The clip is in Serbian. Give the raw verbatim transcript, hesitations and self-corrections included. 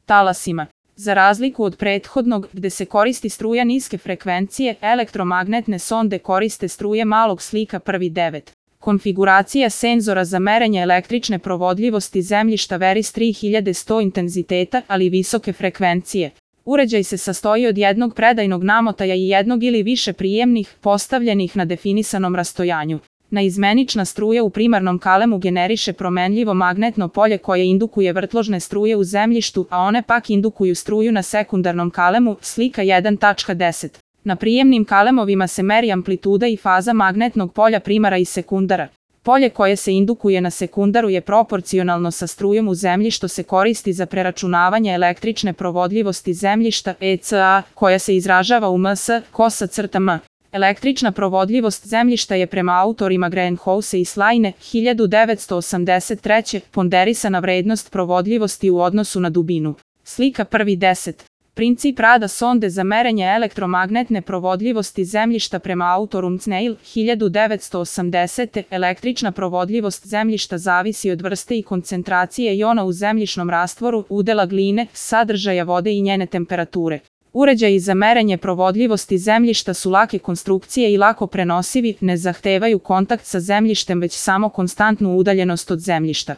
talasima. Za razliku od prethodnog, gde se koristi struja niske frekvencije, elektromagnetne sonde koriste struje malog slika prvi devet. Konfiguracija senzora za merenje električne provodljivosti zemljišta vari s tri hiljade sto intenziteta, ali visoke frekvencije. Uređaj se sastoji od jednog predajnog namotaja i jednog ili više prijemnih, postavljenih na definisanom rastojanju. Naizmenična struja u primarnom kalemu generiše promenljivo magnetno polje koje indukuje vrtložne struje u zemljištu, a one pak indukuju struju na sekundarnom kalemu, slika jedan tačka deset. Na prijemnim kalemovima se meri amplituda i faza magnetnog polja primara i sekundara. Polje koje se indukuje na sekundaru je proporcionalno sa strujom u zemlji što se koristi za preračunavanje električne provodljivosti zemljišta E C A, koja se izražava u ms, kosa crta m. Električna provodljivost zemljišta je prema autorima Greenhouse i Sline, hiljadu devetsto osamdeset treće. ponderisana vrednost provodljivosti u odnosu na dubinu. Slika prvi deset. Princip rada sonde za merenje elektromagnetne provodljivosti zemljišta prema autoru Mcneil, hiljadu devetsto osamdesete. Električna provodljivost zemljišta zavisi od vrste i koncentracije jona u zemljišnom rastvoru, udela gline, sadržaja vode i njene temperature. Uređaji za merenje provodljivosti zemljišta su lake konstrukcije i lako prenosivi, ne zahtevaju kontakt sa zemljištem već samo konstantnu udaljenost od zemljišta.